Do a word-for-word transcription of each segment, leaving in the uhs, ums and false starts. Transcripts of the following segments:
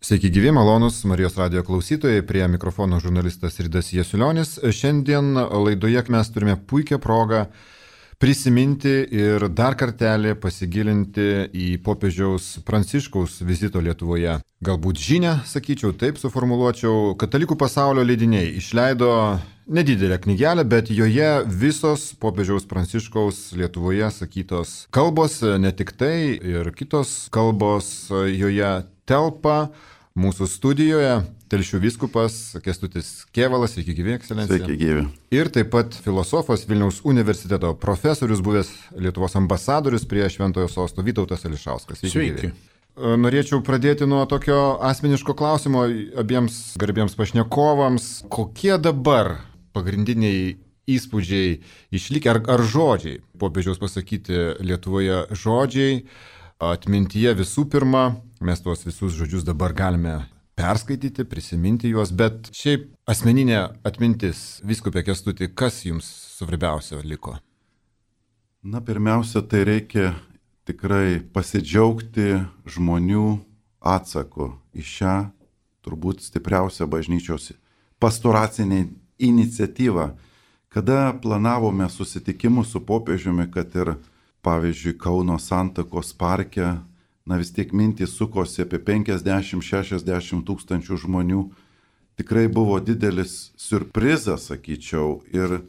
Sveiki gyvi, malonus Marijos radijo klausytojai, prie mikrofono žurnalistas Ridas Jasiulionis. Šiandien laidoje mes turime puikią progą prisiminti ir dar kartelį pasigilinti į popiežiaus Pranciškaus vizito Lietuvoje. Galbūt žinią, sakyčiau, taip suformuluočiau, Katalikų pasaulio leidiniai išleido nedidelę knygelę, bet joje visos popiežiaus Pranciškaus Lietuvoje sakytos kalbos, ne tik tai, ir kitos kalbos joje telpa. Mūsų studijoje Telšių vyskupas Kęstutis Kėvalas, sveiki gyvi, ekscelencija. Sveiki gyvi. Ir taip pat filosofas Vilniaus universiteto profesorius, buvęs Lietuvos ambasadorius prie Šventojo sosto Vytautas Ališauskas. Sveiki. Sveiki. Norėčiau pradėti nuo tokio asmeniško klausimo abiems garbiems pašnekovams. Kokie dabar pagrindiniai įspūdžiai išlikę ar, ar žodžiai, popiežiaus pasakyti Lietuvoje žodžiai, atmintyje visų pirma, mes tuos visus žodžius dabar galime perskaityti, prisiminti juos, bet šiaip asmeninė atmintis, vyskupė Kęstuti, kas jums svarbiausia liko? Na, pirmiausia, tai reikia tikrai pasidžiaugti žmonių atsaku į šią turbūt stipriausią bažnyčios pastoracinę iniciatyvą. Kada planavome susitikimus su popiežiumi, kad ir pavyzdžiui, Kauno Santakos parke, na vis tiek mintys sukosi apie penkiasdešimt šešiasdešimt tūkstančių žmonių. Tikrai buvo didelis siurprizas, sakyčiau, ir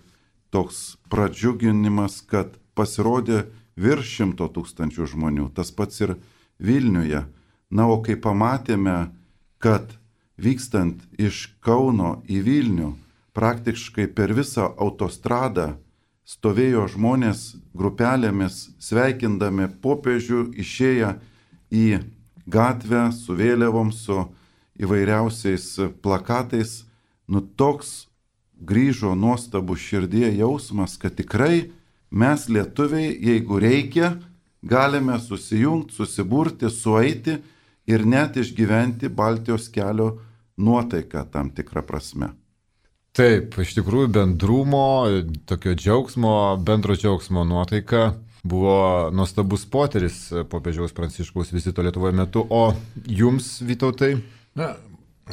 toks pradžiuginimas, kad pasirodė virš šimto tūkstančių žmonių. Tas pats ir Vilniuje. Na, o kai pamatėme, kad vykstant iš Kauno į Vilnių, praktiškai per visą autostradą stovėjo žmonės grupelėmis, sveikindami popiežių, išėję į gatvę su vėliavom, su įvairiausiais plakatais. Nu toks grįžo nuostabų širdie jausmas, kad tikrai mes lietuviai, jeigu reikia, galime susijungti, susiburti, sueiti ir net išgyventi Baltijos kelio nuotaiką tam tikrą prasme. Taip, iš tikrųjų bendrumo, tokio džiaugsmo, bendro džiaugsmo nuotaika buvo nuostabus potyris popiežiaus Pranciškaus vizito Lietuvoje metu, o jums, Vytautai? Na,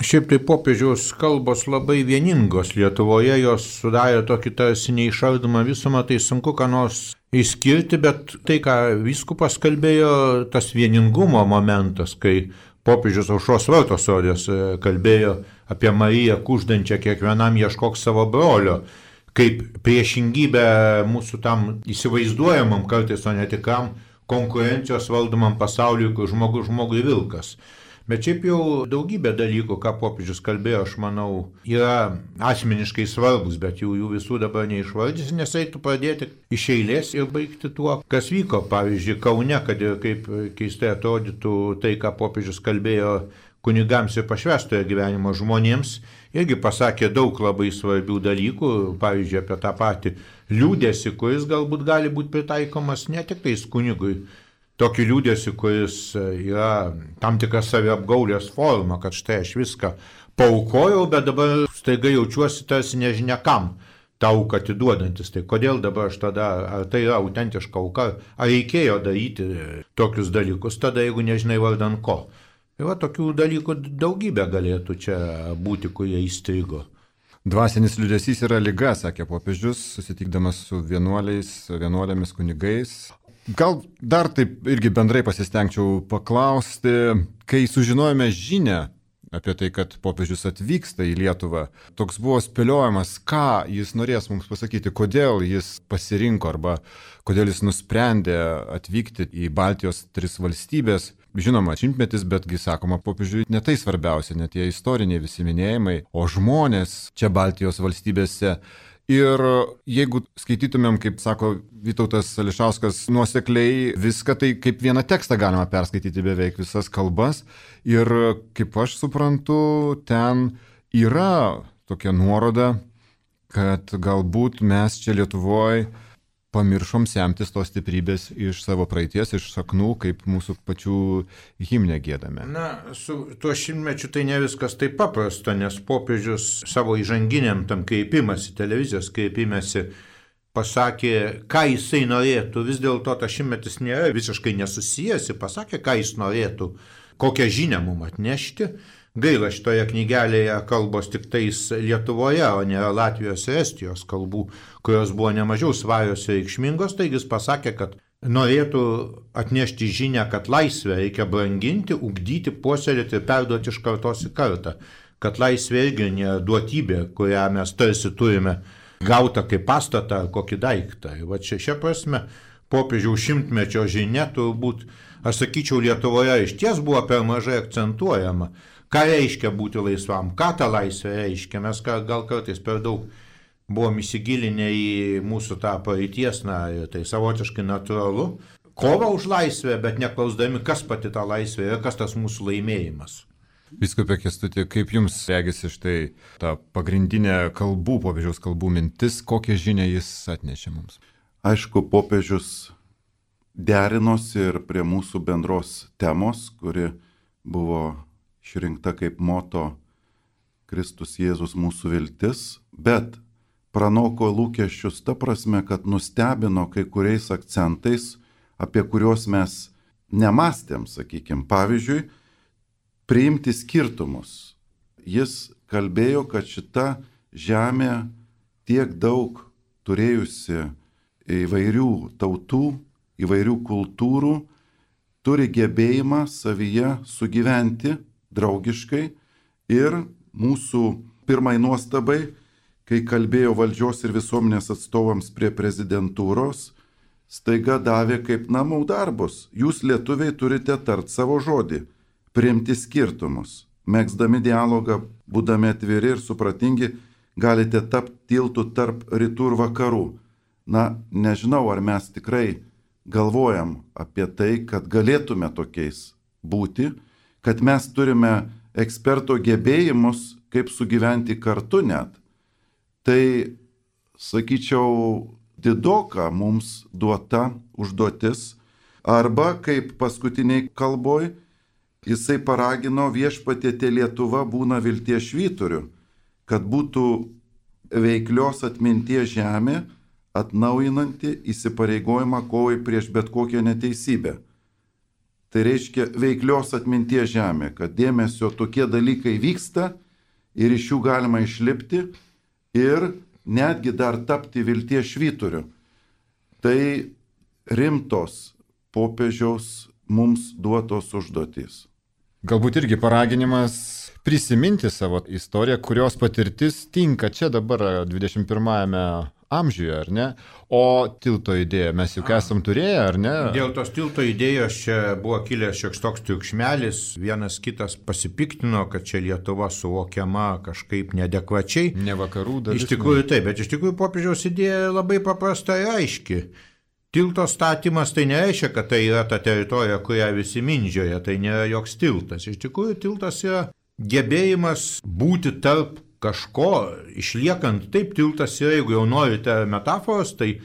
šiaip tai popiežiaus kalbos labai vieningos Lietuvoje, jos sudarė tokį tarsi neišardomą visumą, tai sunku ką nors išskirti, bet tai, ką vyskupas kalbėjo, tas vieningumo momentas, kai popiežius Aušros Vartų sodės kalbėjo apie Mariją kuždančią kiekvienam ieškok savo brolio, kaip priešingybę mūsų tam įsivaizduojamam kartais, o netikram konkurencijos valdomam pasauliui, kur žmogus žmogui vilkas. Bet šiaip jau daugybė dalykų, ką popiežius kalbėjo, aš manau, yra asmeniškai svarbus, bet jų, jų visų dabar neišvardysi, nes eitų pradėti iš eilės ir baigti tuo, kas vyko. Pavyzdžiui, Kaune, kad ir kaip keistai atrodytų tai, ką popiežius kalbėjo kunigams ir pašvęstojo gyvenimo žmonėms, irgi pasakė daug labai svarbių dalykų, pavyzdžiui, apie tą patį liūdesį, kuris galbūt gali būti pritaikomas ne tik tais kunigui, tokį liūdėsi, kuris yra tam tikra saviapgaulės forma, kad štai aš viską paaukojau, bet dabar staiga jaučiuosi tarsi nežinia kam tą auką atiduodantis. Tai kodėl dabar aš tada, ar tai yra autentiška auka, ar reikėjo daryti tokius dalykus tada, jeigu nežinai vardan ko. Ir va, tokių dalykų daugybė galėtų čia būti, kurie įstrigo. Dvasinis liūdesys yra liga, sakė popiežius, susitikdamas su vienuoliais, vienuolėmis, kunigais. Gal dar taip irgi bendrai pasistengčiau paklausti, kai sužinojome žinią apie tai, kad popiežius atvyksta į Lietuvą, toks buvo spėliojimas, ką jis norės mums pasakyti, kodėl jis pasirinko arba kodėl jis nusprendė atvykti į Baltijos tris valstybės. Žinoma, šimtmetis, betgi sakoma, popiežiui ne tai svarbiausia, ne tie istoriniai visi minėjimai, o žmonės čia Baltijos valstybėse. Ir jeigu skaitytumėm, kaip sako Vytautas Ališauskas, nuosekliai viską, tai kaip vieną tekstą galima perskaityti beveik visas kalbas. Ir kaip aš suprantu, ten yra tokia nuoroda, kad galbūt mes čia Lietuvoje pamiršom semtis tos stiprybės iš savo praeities, iš saknų, kaip mūsų pačių himne giedame. Na, su tuo šimtmečiu tai ne viskas taip paprasta, nes popiežius savo įžanginiam tam kreipimąsi, televizijos kreipimąsi, pasakė, ką jisai norėtų. Vis dėlto tas šimtmetis nėra visiškai nesusijęs, pasakė, ką jis norėtų kokią žinią mums atnešti. Gaila, šitoje knygelėje kalbos tik tais Lietuvoje, o ne Latvijos ir Estijos kalbų, kurios buvo nemažiau svarios ir reikšmingos. Taigi jis pasakė, kad norėtų atnešti žinią, kad laisvę reikia branginti, ugdyti, puoselėti ir perduoti iš kartos į kartą. Kad laisvė irgi nėra duotybė, kurią mes tarsi turime gautą kaip pastatą ar kokį daiktą. Ir va čia šia prasme popiežiaus šimtmečio žinia turbūt, aš sakyčiau, Lietuvoje iš ties buvo per mažai akcentuojama. Ką reiškia būti laisvam, ką ta laisvė reiškia. Mes gal kartais per daug buvom įsigilinę į mūsų tą praeities, na, tai savotiškai natūralu. Kova už laisvę, bet neklausdami, kas pati ta laisvė ir kas tas mūsų laimėjimas. Vyskupė Kęstuti, kaip jums regisi štai ta pagrindinė kalbų, popiežiaus kalbų mintis, kokią žinią jis atnešė mums? Aišku, popiežius derinosi ir prie mūsų bendros temos, kuri buvo išrinkta kaip moto Kristus Jėzus mūsų viltis, bet pranoko lūkesčius ta prasme, kad nustebino kai kuriais akcentais, apie kuriuos mes nemastėm, sakykime. Pavyzdžiui, priimti skirtumus. Jis kalbėjo, kad šita žemė tiek daug turėjusi įvairių tautų, įvairių kultūrų, turi gebėjimą savyje sugyventi draugiškai ir mūsų pirmai nuostabai, kai kalbėjo valdžios ir visuomenės atstovams prie prezidentūros, staiga davė kaip namų darbus. Jūs lietuviai turite tart savo žodį, priimti skirtumus. Megzdami dialogą, būdami atviri ir supratingi, galite tapti tiltų tarp rytų ir vakarų. Na, nežinau, ar mes tikrai galvojam apie tai, kad galėtume tokiais būti, kad mes turime eksperto gebėjimus, kaip sugyventi kartu net. Tai, sakyčiau, didoka mums duota užduotis, arba, kaip paskutiniai kalboj, jisai paragino viešpatie te Lietuva būna vilties švyturiu, kad būtų veiklios atminties žemė, atnaujinanti įsipareigojimą kovai prieš bet kokią neteisybę. Tai reiškia veiklios atminties žemė, kad dėmesio tokie dalykai vyksta ir iš jų galima išlipti ir netgi dar tapti vilties švyturiu. Tai rimtos popiežiaus mums duotos užduotys. Galbūt irgi paraginimas prisiminti savo istoriją, kurios patirtis tinka čia dabar dvidešimt pirmajame amžiuje, ar ne? O tilto idėja mes juk esam turėję, ar ne? Dėl tos tilto idėjos čia buvo kilęs šioks toks triukšmelis, vienas kitas pasipiktino, kad čia Lietuva suvokiama kažkaip neadekvačiai. Ne vakarų dalis. Iš tikrųjų taip, bet iš tikrųjų popiežiaus idėja labai paprasta ir aiški. Tilto statymas tai nereiškia, kad tai yra ta teritorija, kurią visi mindžioja, tai nėra joks tiltas. Iš tikrųjų tiltas yra gebėjimas būti tarp kažko, išliekant. Taip, tiltas yra, jeigu jau norite metaforos, tai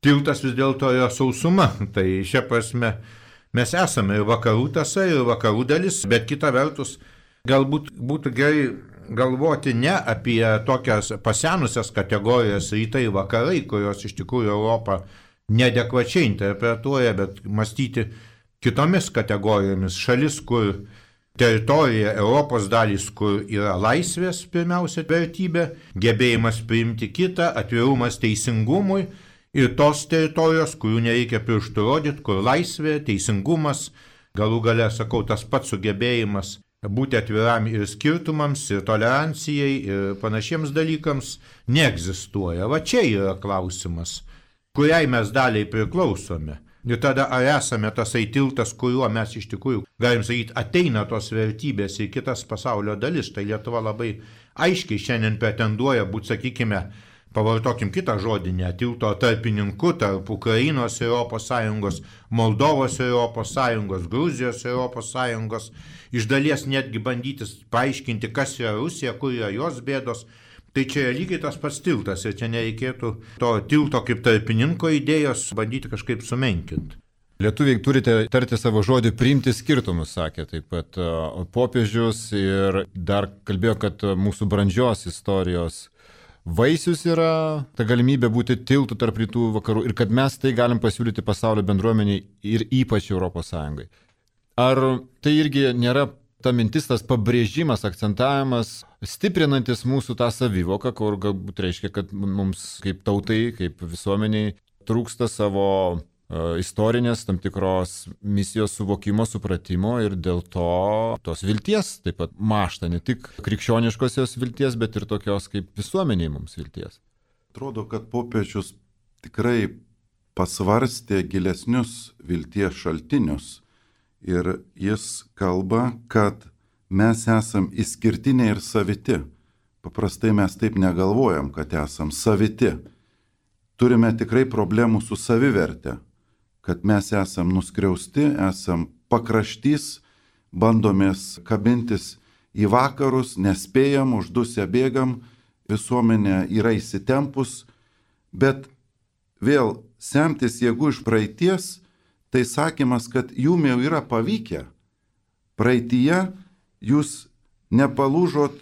tiltas vis dėlto yra sausuma. Tai šia prasme mes esame ir vakarų tąsa, ir vakarų dalis, bet kita vertus galbūt būtų gerai galvoti ne apie tokias pasenusias kategorijas rytai vakarai, kurios iš tikrųjų Europą neadekvačiai interpretuoja, bet mąstyti kitomis kategorijomis. Šalis, kur teritorija, Europos dalys, kur yra laisvės pirmiausia vertybė, gebėjimas priimti kitą, atvirumas teisingumui ir tos teritorijos, kurių nereikia pirštų rodyti, kur laisvė, teisingumas, galų gale, sakau, tas pats sugebėjimas būti atviram ir skirtumams, ir tolerancijai, ir panašiems dalykams neegzistuoja. Va čia yra klausimas, kuriai mes daliai priklausome. Ir tada ar esame tasai tiltas, kuriuo mes iš tikrųjų, galim sakyti, ateina tos vertybės į kitas pasaulio dalis. Tai Lietuva labai aiškiai šiandien pretenduoja būti, sakykime, pavartokim kitą žodinę, tilto tarpininku tarp Ukrainos ir Europos Sąjungos, Moldovos ir Europos Sąjungos, Gruzijos ir Europos Sąjungos, iš dalies netgi bandytis paaiškinti, kas yra Rusija, kur yra jos bėdos. Tai čia lygiai tas pats tiltas ir čia nereikėtų to tilto kaip tarpininko idėjos bandyti kažkaip sumenkinti. Lietuviai turite tarti savo žodį, priimti skirtumus, sakė taip pat popiežius, ir dar kalbėjo, kad mūsų brandžios istorijos vaisius yra ta galimybė būti tiltų tarp rytų vakarų ir kad mes tai galim pasiūlyti pasaulio bendruomeniai ir ypač Europos Sąjungai. Ar tai irgi nėra ta mintis, tas pabrėžimas, akcentavimas, stiprinantis mūsų tą savivoką, kur galbūt reiškia, kad mums kaip tautai, kaip visuomeniai trūksta savo uh, istorinės tam tikros misijos suvokimo, supratimo ir dėl to tos vilties taip pat mašta, ne tik krikščioniškosios vilties, bet ir tokios kaip visuomeniai mums vilties. Atrodo, kad popiežius tikrai pasvarstė gilesnius vilties šaltinius. Ir jis kalba, kad mes esam išskirtiniai ir saviti. Paprastai mes taip negalvojam, kad esam saviti. Turime tikrai problemų su saviverte, kad mes esam nuskriausti, esam pakraštys, bandomės kabintis į vakarus, nespėjam, uždusę bėgam, visuomenė yra įsitempus, bet vėl semtis jėgų iš praeities, tai sakymas, kad jum jau yra pavykę. Praeityje jūs nepalūžot,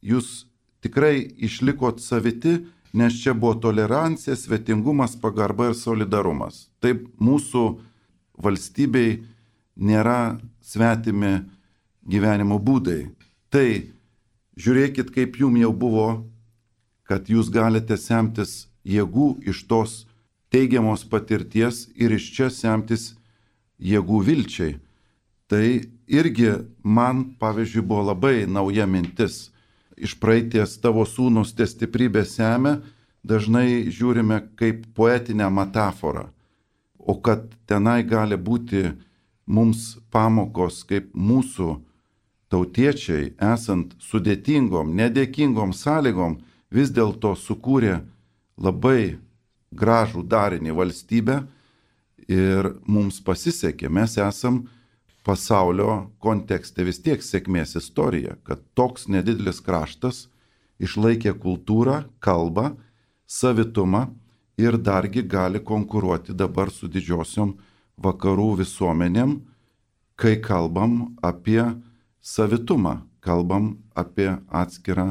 jūs tikrai išlikot saviti, nes čia buvo tolerancija, svetingumas, pagarba ir solidarumas. Taip mūsų valstybei nėra svetimi gyvenimo būdai. Tai žiūrėkit, kaip jum jau buvo, kad jūs galite semtis jėgų iš tos teigiamos patirties ir iš čia semtis jėgų vilčiai. Tai irgi man, pavyzdžiui, buvo labai nauja mintis. Iš praeities tavo sūnus te stiprybę semia, dažnai žiūrime kaip poetinę metaforą. O kad tenai gali būti mums pamokos, kaip mūsų tautiečiai, esant sudėtingom, nedėkingom sąlygom, vis dėlto sukūrė labai gražų darinį valstybę ir mums pasisekė. Mes esam pasaulio kontekste vis tiek sėkmės istorija, kad toks nedidelis kraštas išlaikė kultūrą, kalbą, savitumą ir dargi gali konkuruoti dabar su didžiosiom vakarų visuomenėm, kai kalbam apie savitumą, kalbam apie atskirą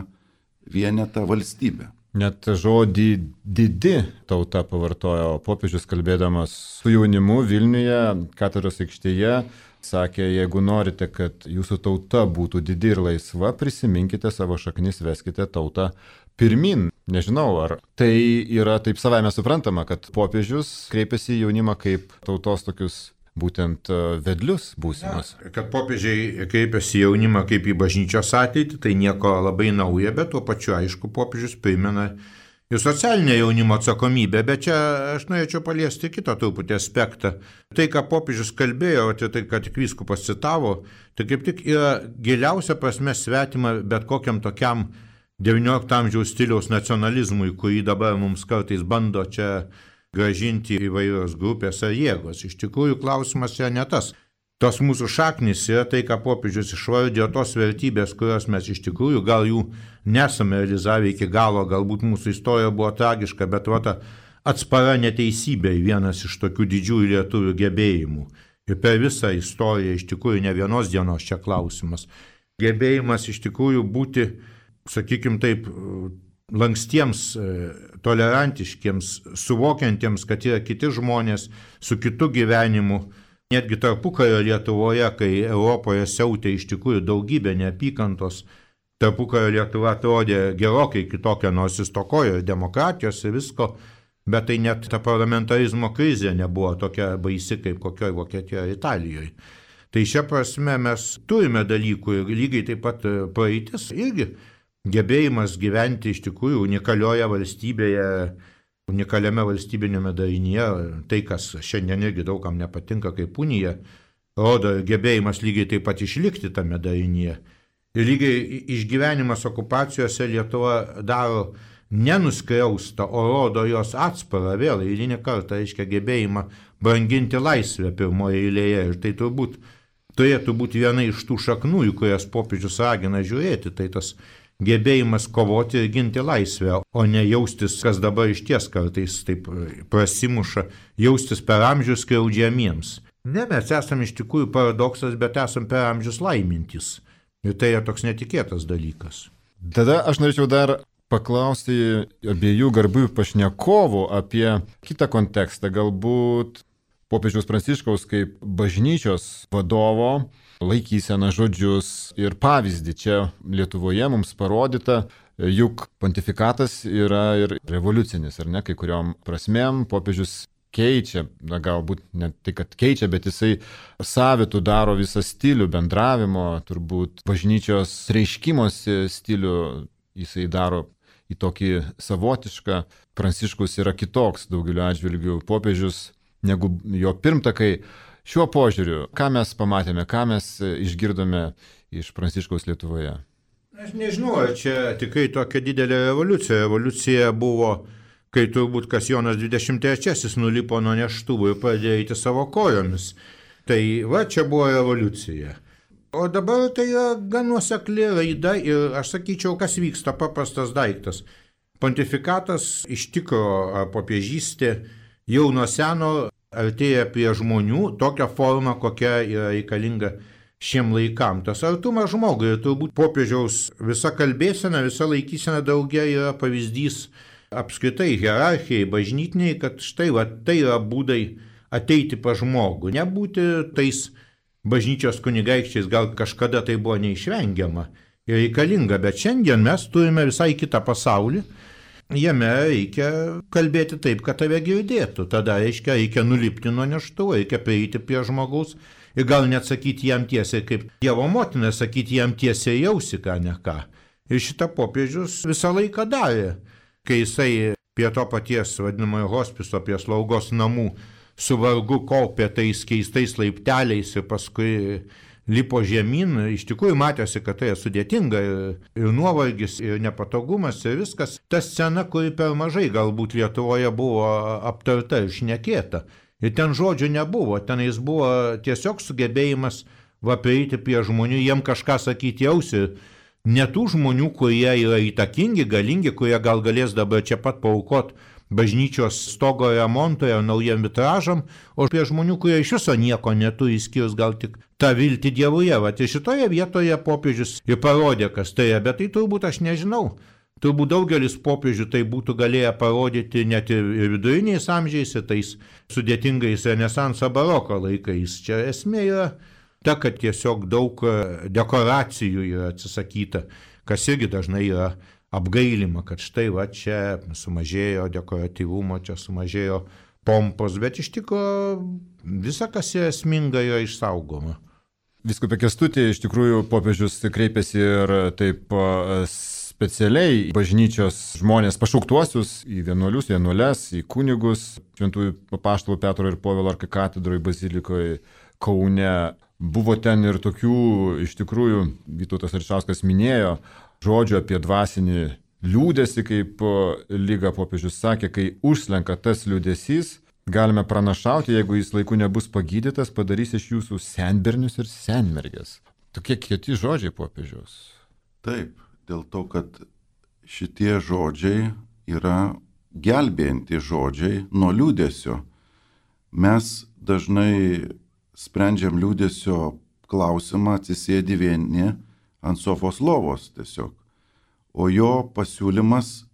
vienetą valstybę. Net žodį didi tauta pavartojo popiežius kalbėdamas su jaunimu Vilniuje, katedros aikštėje. Sakė, jeigu norite, kad jūsų tauta būtų didi ir laisva, prisiminkite savo šaknis, veskite tautą pirmin. Nežinau, ar tai yra taip savaime suprantama, kad popiežius kreipiasi į jaunimą kaip tautos tokius būtent vedlius būsimus. Ja, kad popiežiai kreipiasi į jaunimą kaip į bažnyčios ateitį, tai nieko labai nauja, bet tuo pačiu aišku popiežius primena ir socialinė jaunimo atsakomybė, bet čia aš norėčiau paliesti kitą truputį aspektą. Tai, ką popiežius kalbėjo, tai, ką tik vyskupas citavo, tai kaip tik yra giliausia prasme svetima bet kokiam tokiam devyniolikto amžiaus stiliaus nacionalizmui, kurį dabar mums kartais bando čia gražinti įvairios grupės ar jėgos. Iš tikrųjų, klausimas yra ne tas. Tos mūsų šaknis yra tai, ką popiežius išvardėjo, tos vertybės, kurios mes iš tikrųjų gal jų nesame realizavę iki galo, galbūt mūsų istorija buvo tragiška, bet va ta atspara neteisybė vienas iš tokių didžiųjų lietuvių gebėjimų. Ir per visą istoriją iš tikrųjų ne vienos dienos čia klausimas. Gebėjimas iš tikrųjų būti, sakykime taip, lankstiems, tolerantiškiems, suvokiantiems, kad yra kiti žmonės su kitu gyvenimu. Netgi tarpukario Lietuvoje, kai Europoje siautė iš tikrųjų daugybė neapykantos, tarpukario Lietuva atrodė gerokai kitokia, nors įstokojo demokratijos ir visko, bet tai net ta parlamentarizmo krizė nebuvo tokia baisi kaip kokioje Vokietijoje ar Italijoje. Tai šia prasme mes turime dalykų ir lygiai taip pat praeitis irgi gebėjimas gyventi iš tikrųjų unikalioje valstybėje, unikaliame valstybinėme darinyje, tai kas šiandien irgi daugam nepatinka kaip unija, rodo gebėjimas lygiai taip pat išlikti tame darinyje. Ir lygiai išgyvenimas okupacijose Lietuva daro nenuskriaustą, o rodo jos atsparą vėl eilinį kartą, reiškia gebėjimą branginti laisvę pirmoje eilėje. Ir tai turbūt turėtų būti viena iš tų šaknų, į kurias popiežius ragina žiūrėti, tai tas gebėjimas kovoti ir ginti laisvę, o ne jaustis, kas dabar iš ties kartais taip prasimuša, jaustis per amžius skriaudžiamiems. Ne, mes esame iš tikrųjų paradoksas, bet esame per amžius laimintis. Ir tai yra toks netikėtas dalykas. Tada aš norėčiau dar paklausti abiejų garbių pašnekovų apie kitą kontekstą, galbūt popiežiaus Pranciškaus kaip bažnyčios vadovo laikyseną, žodžius ir pavyzdį čia Lietuvoje mums parodyta, juk pontifikatas yra ir revoliucinis, ar ne, kai kuriom prasmėm popiežius keičia, na galbūt ne tai, kad keičia, bet jisai savitų daro visą stilių bendravimo, turbūt bažnyčios reiškimosi stilių jisai daro į tokį savotišką. Pranciškus yra kitoks daugeliu atžvilgių popiežius negu jo pirmtakai. Šiuo požiūriu, ką mes pamatėme, ką mes išgirdome iš Pranciškaus Lietuvoje? Aš nežinau, ar čia tikrai tokia didelė revoliucija. Revoliucija buvo, kai turbūt kas Jonas dvidešimt trečiasis nulipo nuo neštuvų ir pradėjo eiti savo kojomis. Tai va, čia buvo revoliucija. O dabar tai yra gan nuosekli raida ir aš sakyčiau, kas vyksta, paprastas daiktas. Pontifikatas iš tikro popiežystė jau nuo seno artėja prie žmonių tokią formą, kokia yra reikalinga šiem laikam. Tas artumas žmogui ir turbūt popiežiaus visa kalbėsena, visa laikysena daugia yra pavyzdys apskritai hierarchijai, bažnytiniai, kad štai va, tai yra būdai ateiti pas žmogų, nebūti tais bažnyčios kunigaikščiais, gal kažkada tai buvo neišvengiama ir reikalinga, bet šiandien mes turime visai kitą pasaulį. Jame reikia kalbėti taip, kad tave girdėtų. Tada reiškia, reikia nulipti nuo neštuvo, reikia prieiti prie žmogaus ir gal net sakyti jam tiesiai, kaip Dievo motina, sakyti jam tiesiai jausi ką ne ką. Ir šitą popiežius visą laiką darė, kai jisai prie to paties vadinamojo hospiso, prie slaugos namų su vargu kopė tais keistais laipteliais ir paskui lipo žemyn, iš tikrųjų matėsi, kad tai sudėtinga ir, ir nuovargis, ir nepatogumas, ir viskas. Ta scena, kuri per mažai galbūt Lietuvoje buvo aptarta ir šnekėta. Ir ten žodžių nebuvo, ten jis buvo tiesiog sugebėjimas va prieiti prie žmonių, jiem kažką sakyti ausį. Ne tų žmonių, kurie yra įtakingi, galingi, kurie gal galės dabar čia pat paaukot bažnyčios stogo remontui ar naujam vitražam, o prie žmonių, kurie iš viso nieko neturi, išskyrus gal tik tą viltį Dievuje. Vat ir šitoje vietoje popiežius ir parodė, kas tai yra, bet tai turbūt aš nežinau. Turbūt daugelis popiežių tai būtų galėję parodyti net ir viduriniais amžiais, ir tais sudėtingais renesanso baroko laikais. Čia esmė yra ta, kad tiesiog daug dekoracijų yra atsisakyta, kas irgi dažnai yra apgailima, kad štai va čia sumažėjo dekoratyvumo, čia sumažėjo pompos, bet iš tikrųjų visa, kas yra esminga, yra išsaugoma. Vyskupė Kęstutį, iš tikrųjų popiežius kreipėsi ir taip specialiai bažnyčios žmonės pašauktuosius į vienuolius, vienuoles, į kunigus, šventųjų apaštalų Petro ir Povilo arkikatedroje bazilikoje Kaune. Buvo ten ir tokių, iš tikrųjų, Vytautas Ričauskas minėjo, žodžių apie dvasinį liūdesį, kaip lyga popiežius sakė, kai užslenka tas liūdesys, galime pranašauti, jeigu jis laiku nebus pagydytas, padarys iš jūsų senbernius ir senmergės. Tokie kieti žodžiai popiežiaus. Taip, dėl to, kad šitie žodžiai yra gelbėjantys žodžiai nuo liūdesio. Mes dažnai sprendžiam liūdesio klausimą atsisėdi vieni ant sofos lovos tiesiog. O jo pasiūlymas,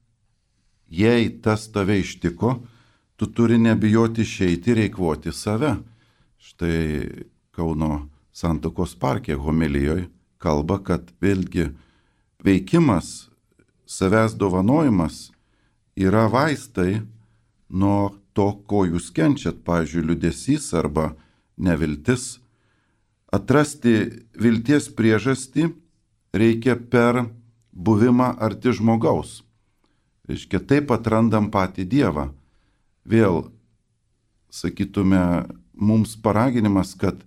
jei tas tave ištiko, tu turi nebijoti išeiti ir eikvoti save. Štai Kauno Santuokos parke homilijoje kalba, kad vėlgi veikimas, savęs dovanojimas yra vaistai nuo to, ko jūs kenčiat, pavyzdžiui, liūdesys arba neviltis. Atrasti vilties priežastį reikia per buvimą arti žmogaus. Reiškia, taip atrandam patį Dievą. Vėl, sakytume, mums paraginimas, kad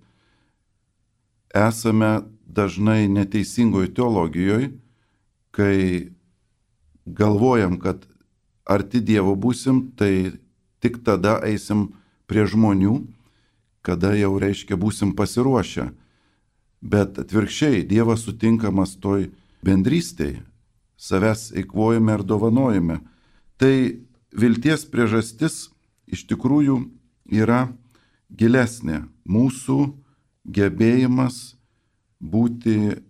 esame dažnai neteisingoje teologijoje, kai galvojam, kad arti Dievo būsim, tai tik tada eisim prie žmonių, kada jau, reiškia, būsim pasiruošę. Bet atvirkščiai, Dievas sutinkamas toj bendrystėje, savęs eikvojime ir dovanojime. Tai vilties priežastis iš tikrųjų yra gilesnė. Mūsų gebėjimas būti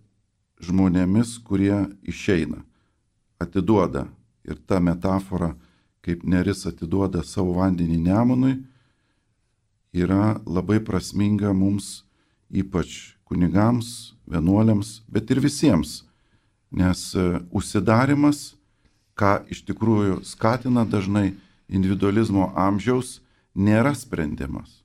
žmonėmis, kurie išeina, atiduoda. Ir ta metafora, kaip Neris atiduoda savo vandenį Nemunui, yra labai prasminga mums, ypač kunigams, vienuoliams, bet ir visiems. Nes užsidarimas, ką iš tikrųjų skatina dažnai individualizmo amžiaus, nėra sprendimas.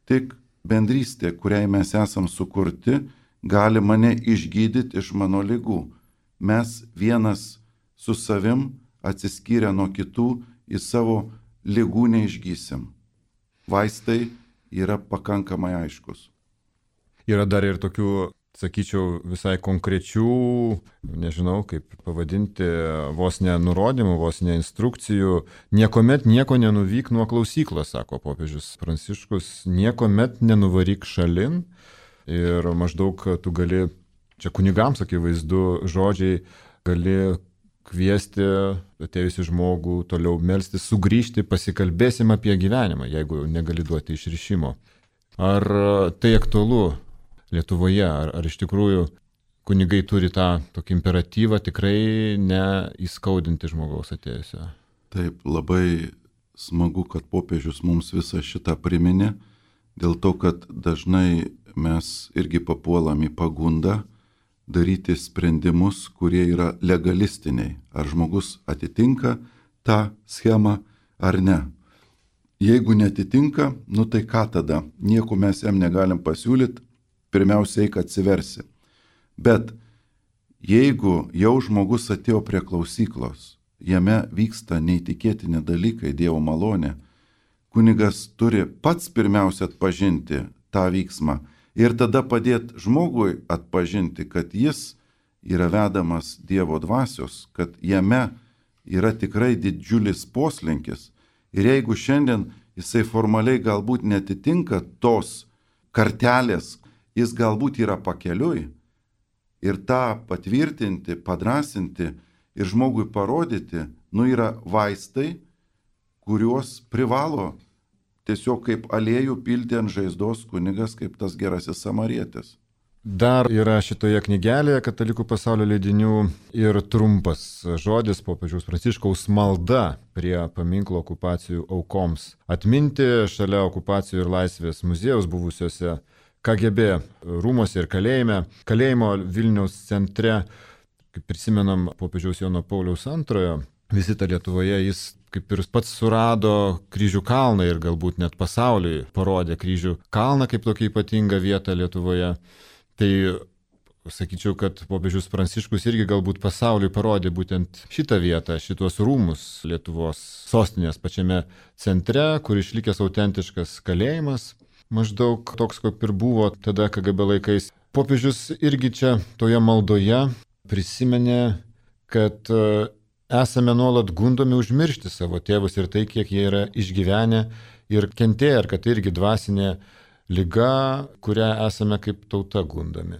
Tik bendrystė, kuriai mes esam sukurti, gali mane išgydyti iš mano ligų. Mes vienas su savim atsiskyrę nuo kitų į savo ligų neišgysim. Vaistai yra pakankamai aiškus. Yra dar ir tokių, sakyčiau, visai konkrečių, nežinau, kaip pavadinti, vos ne nurodymų, vos ne instrukcijų. Niekuomet nieko nenuvyk nuo klausyklos, sako popiežius Pranciškus, niekuomet nenuvaryk šalin ir maždaug tu gali, čia kunigams akivaizdu žodžiai, gali kviesti atėjusi žmogų toliau melstis, sugrįžti, pasikalbėsim apie gyvenimą, jeigu negali duoti išrišimo. Ar tai aktualu Lietuvoje, ar, ar iš tikrųjų kunigai turi tą tokį imperatyvą tikrai neįskaudinti žmogaus atėjusio? Taip, labai smagu, kad popiežius mums visą šitą priminė, dėl to, kad dažnai mes irgi papuolam į pagundą daryti sprendimus, kurie yra legalistiniai. Ar žmogus atitinka tą schemą ar ne. Jeigu netitinka, nu tai ką tada? Nieko mes jam negalim pasiūlyti, pirmiausiai, kad atsiversi. Bet jeigu jau žmogus atėjo prie klausyklos, jame vyksta neįtikėtini dalykai, Dievo malonė, kunigas turi pats pirmiausia atpažinti tą vyksmą ir tada padėti žmogui atpažinti, kad jis yra vedamas Dievo dvasios, kad jame yra tikrai didžiulis poslinkis. Ir jeigu šiandien jisai formaliai galbūt netitinka tos kartelės, jis galbūt yra pakeliui ir tą patvirtinti, padrasinti ir žmogui parodyti, nu yra vaistai, kuriuos privalo tiesiog kaip aliejų pilti ant žaizdos kunigas, kaip tas gerasis samarietis. Dar yra šitoje knygelėje Katalikų pasaulio leidinių ir trumpas žodis popiežiaus Pranciškaus malda prie paminklo okupacijų aukoms atminti šalia okupacijų ir laisvės muziejaus buvusiuose K G B rūmose ir kalėjime. Kalėjimo Vilniaus centre, kaip prisimenam, popiežiaus Jono Pauliaus antrojo vizitą Lietuvoje, jis kaip ir pats surado Kryžių kalną ir galbūt net pasauliui parodė Kryžių kalną kaip tokia ypatinga vieta Lietuvoje. Tai sakyčiau, kad popiežius Pranciškus irgi galbūt pasauliui parodė būtent šitą vietą, šitos rūmus Lietuvos sostinės pačiame centre, kur išlikęs autentiškas kalėjimas. Maždaug toks, kaip ir buvo tada K G B laikais. Popiežius irgi čia toje maldoje prisimenė, kad esame nuolat gundomi užmiršti savo tėvus ir tai, kiek jie yra išgyvenę ir kentėję, ir kad tai irgi dvasinė liga, kurią esame kaip tauta gundomi.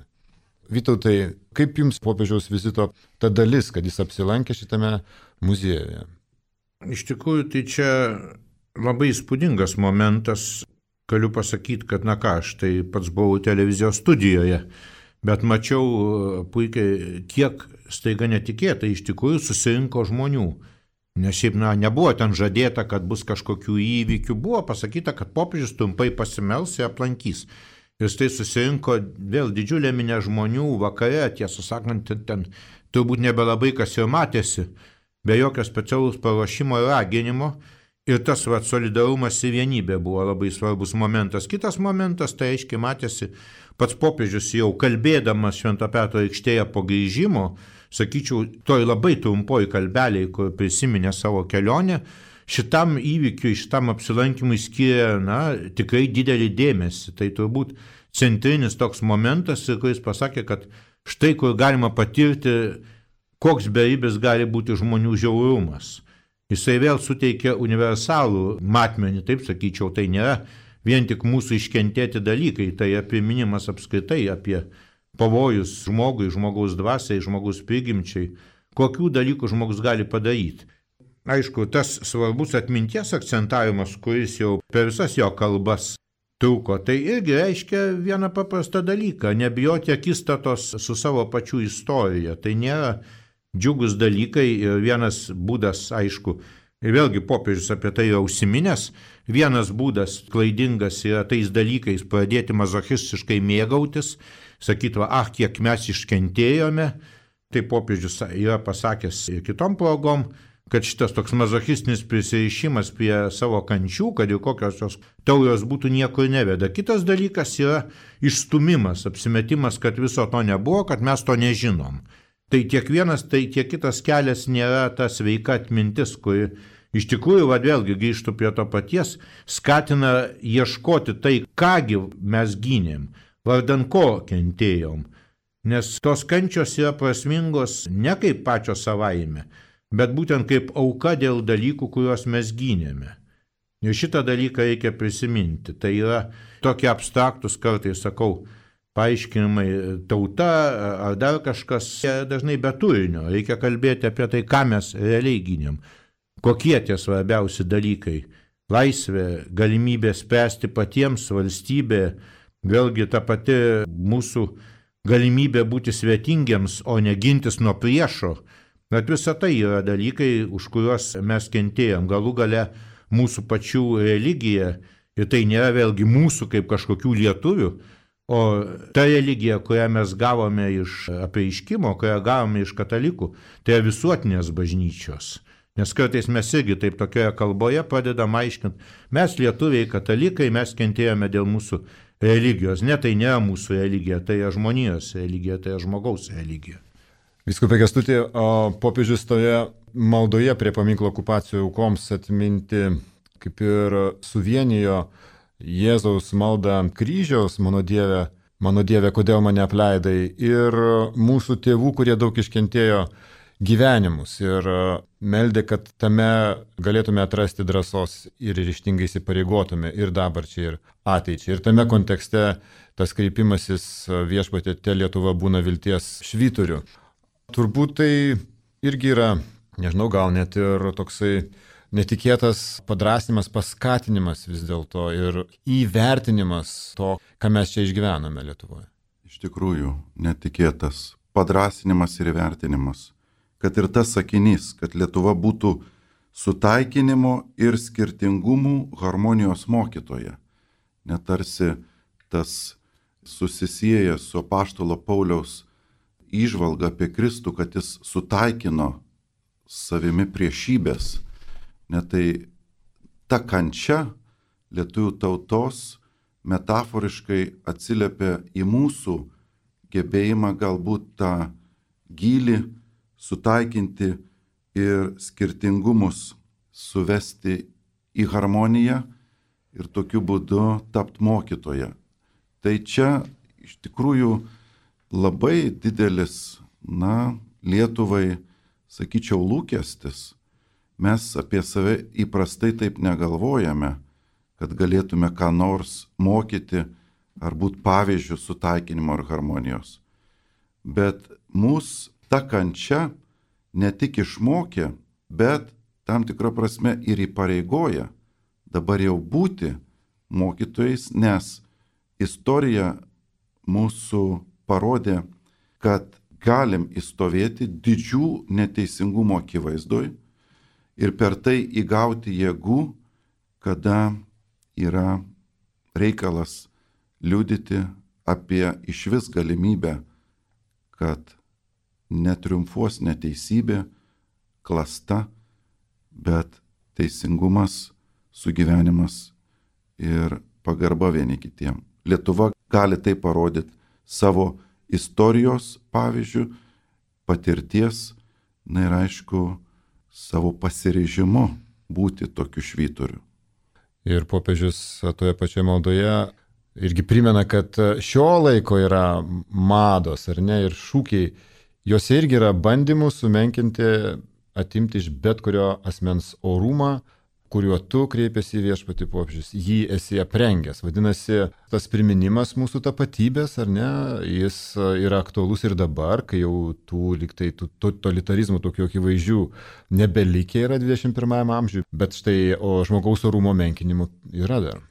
Vytautai, kaip jums popiežiaus vizito ta dalis, kad jis apsilankė šitame muziejuje? Iš tikrųjų, tai čia labai įspūdingas momentas. Galiu pasakyti, kad na ką, aš tai pats buvau televizijos studijoje, bet mačiau puikiai, kiek staiga netikėtai iš tikrųjų susirinko žmonių. Nes šiaip na, nebuvo ten žadėta, kad bus kažkokių įvykių, buvo pasakyta, kad popiežius trumpai pasimels ir aplankys. Ir tai susirinko vėl didžiulė minė žmonių vakare, tiesą sakant, ten turbūt nebelabai kas jau matėsi, be jokio specialaus paruošimo ir raginimo. Ir tas va, solidarumas ir vienybė buvo labai svarbus momentas. Kitas momentas, tai aiškiai matėsi, pats popiežius jau kalbėdamas Švento Petro aikštėje po grįžimo, sakyčiau, toj labai trumpoj kalbeliai, kur prisiminė savo kelionę, šitam įvykiui, šitam apsilankimui skiria, na, tikrai didelį dėmesį. Tai turbūt centrinis toks momentas, kuris pasakė, kad štai kur galima patirti, koks beribis gali būti žmonių žiaurumas. Jisai vėl suteikia universalų matmenį, taip sakyčiau, tai nėra vien tik mūsų iškentėti dalykai, tai priminimas apskritai apie pavojus žmogui, žmogaus dvasiai, žmogaus prigimčiai, kokių dalykų žmogus gali padaryti. Aišku, tas svarbus atminties akcentavimas, kuris jau per visas jo kalbas truko, tai irgi reiškia vieną paprastą dalyką, nebijoti akistatos su savo pačių istorija. Tai nėra džiugus dalykai ir vienas būdas, aišku, ir vėlgi popiežius apie tai yra užsiminęs, vienas būdas klaidingas yra tais dalykais pradėti mazochistiškai mėgautis, sakyti, va, ah, kiek mes iškentėjome, tai popiežius yra pasakęs ir kitom progom, kad šitas toks mazochistinis prisirišimas prie savo kančių, kad ir kokios jos taurios būtų, niekur neveda. Kitas dalykas yra išstumimas, apsimetimas, kad viso to nebuvo, kad mes to nežinom. Tai tiek vienas, tai tiek kitas kelias nėra ta sveika atmintis, kuri iš tikrųjų, vad vėlgi grįžtų prie to paties, skatina ieškoti tai, kągi mes gynėm, vardan ko kentėjom. Nes tos kančios yra prasmingos ne kaip pačios savaime, bet būtent kaip auka dėl dalykų, kuriuos mes gynėme. Ir šitą dalyką reikia prisiminti. Tai yra tokie abstraktus, kartais sakau, paaiškinimai tauta ar dar kažkas, dažnai be turinio. Reikia kalbėti apie tai, ką mes realiai gynėm. Kokie tie svarbiausi dalykai. Laisvė, galimybė spręsti patiems, valstybė, vėlgi ta pati mūsų galimybė būti svetingiams, o ne gintis nuo priešo. Bet visa tai yra dalykai, už kuriuos mes kentėjom. Galų gale mūsų pačių religija, ir tai nėra vėlgi mūsų kaip kažkokių lietuvių, o ta religija, kurią mes gavome iš apreiškimo, kurią gavome iš katalikų, tai yra visuotinės bažnyčios. Nes kartais mes irgi taip tokioje kalboje pradedam aiškinti, mes lietuviai katalikai, mes kentėjome dėl mūsų religijos. Ne, tai nėra mūsų religija, tai yra žmonijos religija, tai yra žmogaus religija. Vyskupė Kęstuti, popiežius toje maldoje prie paminklo okupacijų aukoms atminti, kaip ir suvienijo Jėzaus maldą ant kryžiaus, mano Dieve, mano Dieve, kodėl mane apleidai, ir mūsų tėvų, kurie daug iškentėjo gyvenimus, ir meldė, kad tame galėtume atrasti drąsos ir ryžtingai įsipareigotume ir dabarčiai, ir ateičiai. Ir tame kontekste tas kreipimasis Viešpatie, te Lietuva būna vilties švyturiu. Turbūt tai irgi yra, nežinau, gal net ir toksai netikėtas padrasnimas, paskatinimas vis dėlto ir įvertinimas to, ką mes čia išgyvename Lietuvoje. Iš tikrųjų, netikėtas padrasnimas ir įvertinimas, kad ir tas sakinys, kad Lietuva būtų sutaikinimo ir skirtingumų harmonijos mokytoja. Netarsi tas susisieja su apaštalo Pauliaus įžvalga apie Kristų, kad jis sutaikino savimi priešybės. Net tai ta kančia lietuvių tautos metaforiškai atsiliepia į mūsų gebėjimą galbūt tą gylį sutaikinti ir skirtingumus suvesti į harmoniją ir tokiu būdu tapti mokytoja. Tai čia iš tikrųjų labai didelis, na, Lietuvai, sakyčiau, lūkestis. Mes apie save įprastai taip negalvojame, kad galėtume ką nors mokyti ar būt pavyzdžių sutaikinimo ir harmonijos. Bet mūs ta kančia ne tik išmokė, bet tam tikrą prasme ir įpareigoja dabar jau būti mokytojais, nes istorija mūsų parodė, kad galim įstovėti didžių neteisingumo akivaizdoj ir per tai įgauti jėgų, kada yra reikalas liudyti apie išvis galimybę, kad netriumfuos neteisybė, klasta, bet teisingumas, sugyvenimas ir pagarba vieni kitiem. Lietuva gali tai parodyti savo istorijos pavyzdžių, patirties, na ir aišku, savo pasiryžimu būti tokiu švyturiu. Ir popiežius toje pačioje maldoje irgi primena, kad šio laiko yra mados, ar ne, ir šūkiai, juose irgi yra bandymų sumenkinti, atimti iš bet kurio asmens orumą, kuriuo tu kreipiasi į Viešpatį popiežius, jį esi aprengęs. Vadinasi, tas priminimas mūsų tapatybės, ar ne, jis yra aktualus ir dabar, kai jau tų liktai tų totalitarizmų tokių akivaizdžių nebelikė yra dvidešimt pirmajame amžiuje, bet štai o žmogaus orumo menkinimų yra dar.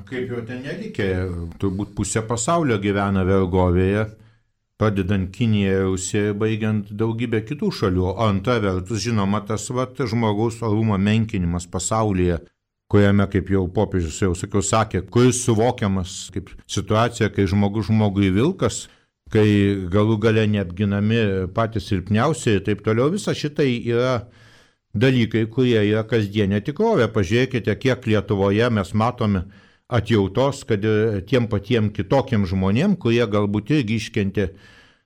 Kaip jau ten nelikė, turbūt pusė pasaulio gyvena vergovėje, pradedant Kiniją, Rusiją, baigiant daugybę kitų šalių. O antra vertus, žinoma, tas vat, žmogaus orumo menkinimas pasaulyje kuriame, kaip jau popiežius jau sakiau, sakė, kuris suvokiamas kaip situacija, kai žmogus žmogui vilkas, kai galų gale neapginami patys silpniausiai ir taip toliau. Visa šitai yra dalykai, kurie yra kasdienė tikrovė. Pažiūrėkite, kiek Lietuvoje mes matome atjautos, kad ir tiem patiem kitokiem žmonėm, kurie galbūt irgi iškentė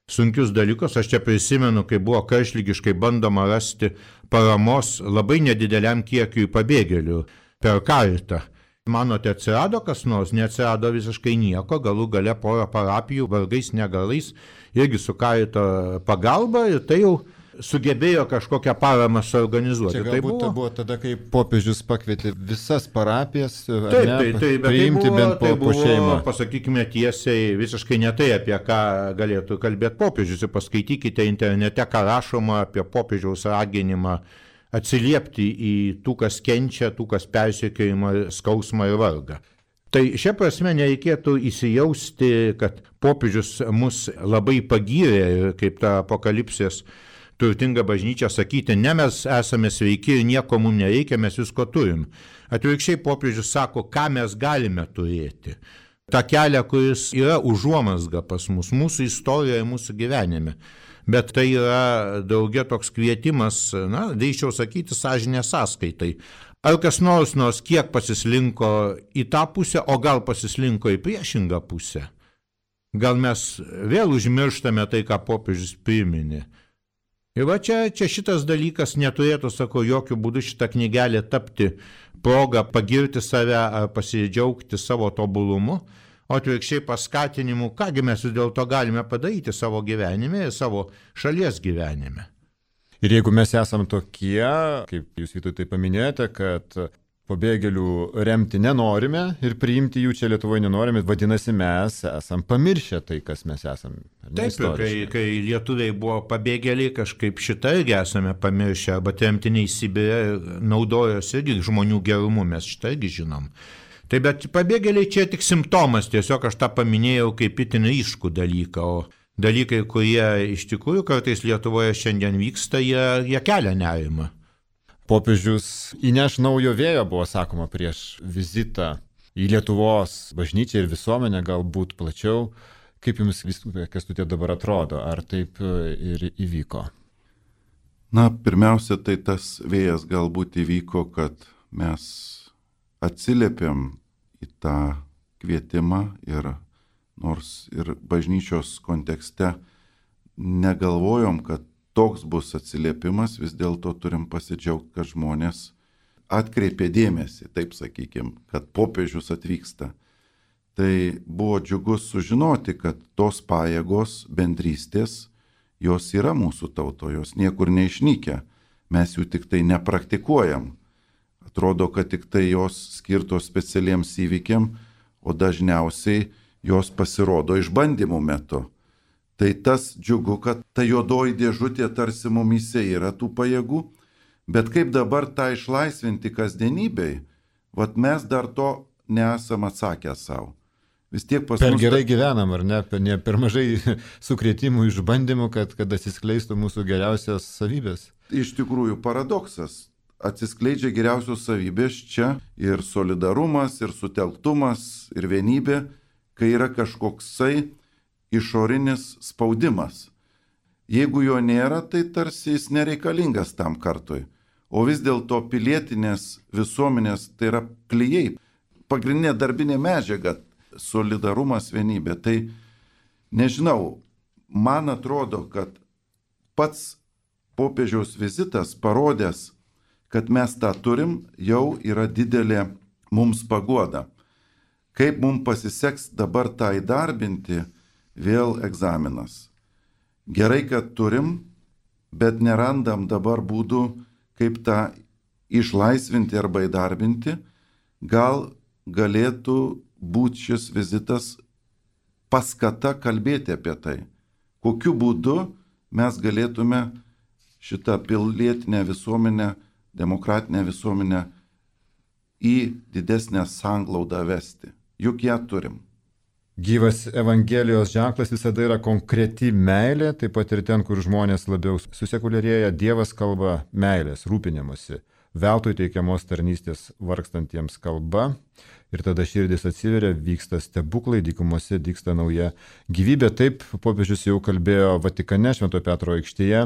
sunkius dalykus. Aš čia prisimenu, kai buvo karštligiškai bandoma rasti paramos labai nedideliam kiekiui pabėgėlių per karitą. Manote, atsirado kas nors, neatsirado visiškai nieko, galų gale porą parapijų vargais negalais irgi su karito pagalba ir tai jau sugebėjo kažkokią paramą suorganizuoti. Čia galbūt tai buvo, buvo tada, kai popiežius pakvietė visas parapijas, taip, ne, tai, tai, priimti tai buvo, bent po, tai buvo, po šeimą. Pasakykime tiesiai, visiškai ne tai, apie ką galėtų kalbėti popiežius. Paskaitykite internete, ką rašoma apie popiežiaus raginimą atsiliepti į tų, kas kenčia, tų, kas persekiojimą, skausmą ir vargą. Tai šia prasme nereikėtų įsijausti, kad popiežius mus labai pagyrė ir kaip ta apokalipsės turtinga bažnyčia sakyti, ne mes esame sveiki ir nieko mums nereikia, mes visko turim. Atvirkščiai popiežius sako, ką mes galime turėti. Ta kelią, kuris yra užuomazga pas mus, mūsų istorijoje, mūsų gyvenime. Bet tai yra daugia toks kvietimas, na, drįsčiau sakyti, sąžinės sąskaitai. Ar kas nors nors kiek pasislinko į tą pusę, o gal pasislinko į priešingą pusę? Gal mes vėl užmirštame tai, ką popiežius priminė? Ir va čia, čia šitas dalykas neturėtų, sako, jokių būdų šitą knygelę tapti progą pagirti save ar pasidžiaugti savo tobulumu, o atvirkščiai paskatinimu, kągi mes vis dėlto galime padaryti savo gyvenime ir savo šalies gyvenime. Ir jeigu mes esam tokie, kaip jūs Vytautai tai paminėjote, kad pabėgėlių remti nenorime ir priimti jų čia Lietuvoje nenorime, vadinasi, mes esam pamiršę tai, kas mes esam. Taip, kai, kai lietuviai buvo pabėgėliai, kažkaip šitą irgi esame pamiršę, arba tremtiniai Sibire naudojosi irgi žmonių gerumu, mes šitą irgi žinom. Tai bet pabėgėliai čia tik simptomas, tiesiog aš tą paminėjau kaip itin ryškų dalyką, o dalykai, kurie iš tikrųjų kartais Lietuvoje šiandien vyksta, jie, jie kelia nerimą. Popiežius įneš naujo vėjo, buvo sakoma, prieš vizitą į Lietuvos bažnyčią ir visuomenę, galbūt plačiau. Kaip jums viskas, Kęstuti, dabar atrodo? Ar taip ir įvyko? Na, pirmiausia, tai tas vėjas galbūt įvyko, kad mes atsiliepėm į tą kvietimą ir nors ir bažnyčios kontekste negalvojom, kad toks bus atsiliepimas, vis dėlto turim pasidžiaugti, kad žmonės atkreipė dėmesį, taip sakykim, kad popiežius atvyksta. Tai buvo džiugu sužinoti, kad tos pajėgos, bendrystės, jos yra mūsų tautoje, jos niekur neišnykę, mes jų tik tai nepraktikuojam. Atrodo, kad tik tai jos skirtos specialiems įvykiam, o dažniausiai jos pasirodo išbandymų metu. Tai tas džiugu, kad ta juodoji dėžutė tarsi mumyse yra tų pajėgų, bet kaip dabar tą išlaisvinti kasdienybei, vat mes dar to nesam atsakę savo. Vis tiek pas per mus... gerai gyvenam, ar ne? Per, ne, per mažai sukrėtimų, išbandymų, kad, kad atsiskleistų mūsų geriausios savybės. Iš tikrųjų paradoksas. Atsiskleidžia geriausios savybės čia ir solidarumas, ir sutelktumas, ir vienybė, kai yra kažkoksai išorinis spaudimas. Jeigu jo nėra, tai tarsi jis nereikalingas tam kartui. O vis dėlto pilietinės visuomenės tai yra klijai, pagrindinė darbinė medžiaga, solidarumas, vienybė. Tai nežinau, man atrodo, kad pats popiežiaus vizitas parodęs, kad mes tą turim, jau yra didelė mums paguoda. Kaip mums pasiseks dabar tą įdarbinti, vėl egzaminas. Gerai, kad turim, bet nerandam dabar būdų, kaip tą išlaisvinti arba įdarbinti. Gal galėtų būti šis vizitas paskata kalbėti apie tai. Kokiu būdu mes galėtume šitą pilietinę visuomenę, demokratinę visuomenę į didesnę sanglaudą vesti. Juk ją turim. Gyvas Evangelijos ženklas visada yra konkreti meilė, taip pat ir ten, kur žmonės labiau susekuliarėja, Dievas kalba meilės, rūpinimusi. veltui teikiamos tarnystės vargstantiems kalba. Ir tada širdis atsiveria, vyksta stebuklai, dykumose dygsta nauja gyvybė. Taip popiežius jau kalbėjo Vatikane, Šventojo Petro aikštėje,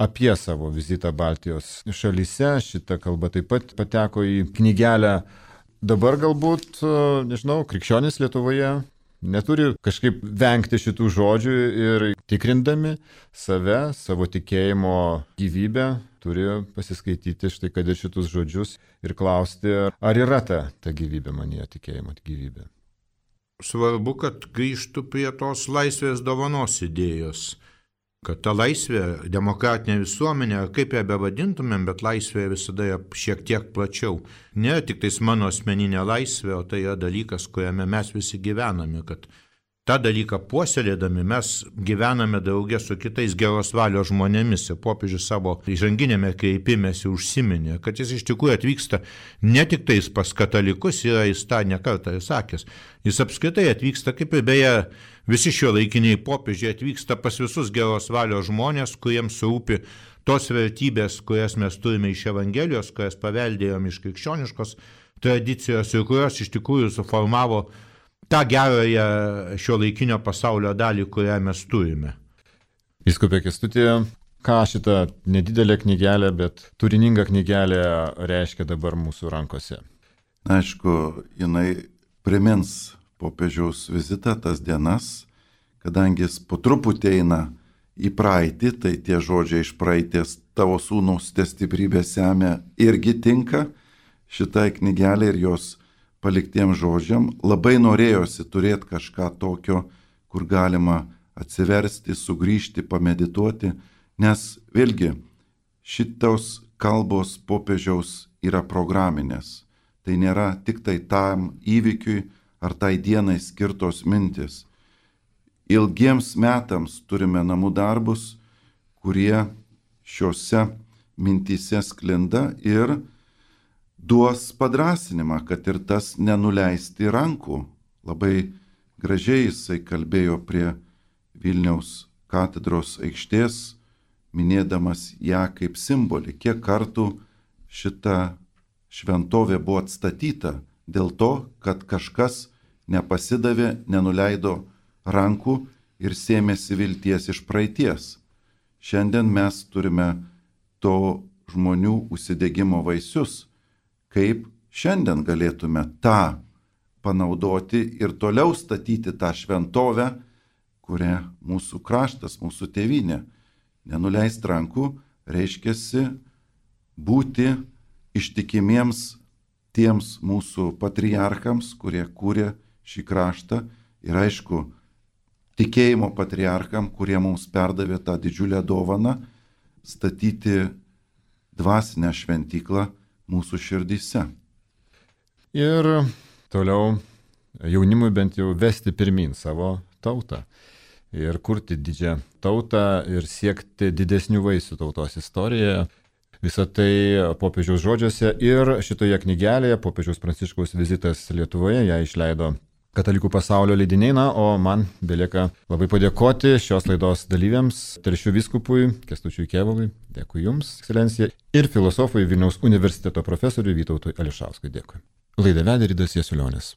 apie savo vizitą Baltijos šalyse. Šita kalba taip pat pateko į knygelę. Dabar galbūt, nežinau, krikščionys Lietuvoje neturi kažkaip vengti šitų žodžių ir tikrindami save, savo tikėjimo gyvybę, turi pasiskaityti štai kad ir šitus žodžius ir klausti, ar yra ta, ta gyvybė manyje, tikėjimo gyvybė. Svarbu, kad grįžtų prie tos laisvės dovanos idėjos, kad ta laisvė, demokratinė visuomenė, ar kaip ją bevadintumėm, bet laisvė visada šiek tiek plačiau. Nėra tik tais mano asmeninė laisvė, o tai yra dalykas, kuriame mes visi gyvename, kad tą dalyką puoselėdami mes gyvename draugė su kitais geros valios žmonėmis. Ir popiežius savo įžanginėme kreipimėsi užsiminė, kad jis iš tikrųjų atvyksta ne tik tais pas katalikus, yra jis tą ne kartą ir sakęs. Jis apskritai atvyksta, kaip ir beje visi šio laikiniai popiežiai, atvyksta pas visus geros valios žmonės, kuriems rūpi tos vertybės, kurias mes turime iš Evangelijos, kurias paveldėjom iš krikščioniškos tradicijos ir kurios iš tikrųjų suformavo tą gerąją šio laikinio pasaulio dalį, kurią mes turime. Vyskupė Kęstuti, ką šitą nedidelę knygelę, bet turiningą knygelę reiškia dabar mūsų rankose? Aišku, jinai primins popiežiaus vizitą, tas dienas, kadangi jis po truputį eina į praeitį, tai tie žodžiai iš praeities tavo sūnaus te stiprybė semia irgi tinka šitai knygelė ir jos paliktiem žodžiam. Labai norėjosi turėti kažką tokio, kur galima atsiversti, sugrįžti, pamedituoti, nes vėlgi šitos kalbos popiežiaus yra programinės. Tai nėra tik tai tam įvykiui ar tai dienai skirtos mintis. Ilgiems metams turime namų darbus, kurie šiuose mintyse sklinda ir duos padrasinimą, kad ir tas nenuleisti rankų. Labai gražiai jisai kalbėjo prie Vilniaus katedros aikštės, minėdamas ją kaip simbolį. Kiek kartų šita šventovė buvo atstatyta dėl to, kad kažkas nepasidavė, nenuleido rankų ir sėmėsi vilties iš praeities. Šiandien mes turime to žmonių užsidegimo vaisius, kaip šiandien galėtume tą panaudoti ir toliau statyti tą šventovę, kurią mūsų kraštas, mūsų tėvynė. Nenuleist rankų reiškiasi būti ištikimiems tiems mūsų patriarchams, kurie kūrė šį kraštą ir aišku, tikėjimo patriarcham, kurie mums perdavė tą didžiulę dovaną, statyti dvasinę šventyklą mūsų širdyse. Ir toliau jaunimui bent jau vesti pirmin savo tautą ir kurti didžią tautą ir siekti didesnių vaisių tautos istorijoje. Visą tai popiežiaus žodžiuose ir šitoje knygelėje popiežiaus Pranciškaus vizitas Lietuvoje, ją išleido Katalikų pasaulio leidiniai, na, o man belieka labai padėkoti šios laidos dalyviams, Telšių vyskupui Kęstučiui Kėvalui, dėkui Jums, ekscelencija, ir filosofui Vilniaus universiteto profesoriui Vytautui Ališauskui, dėkui. Laidą vedė Rydas Jasiulionis.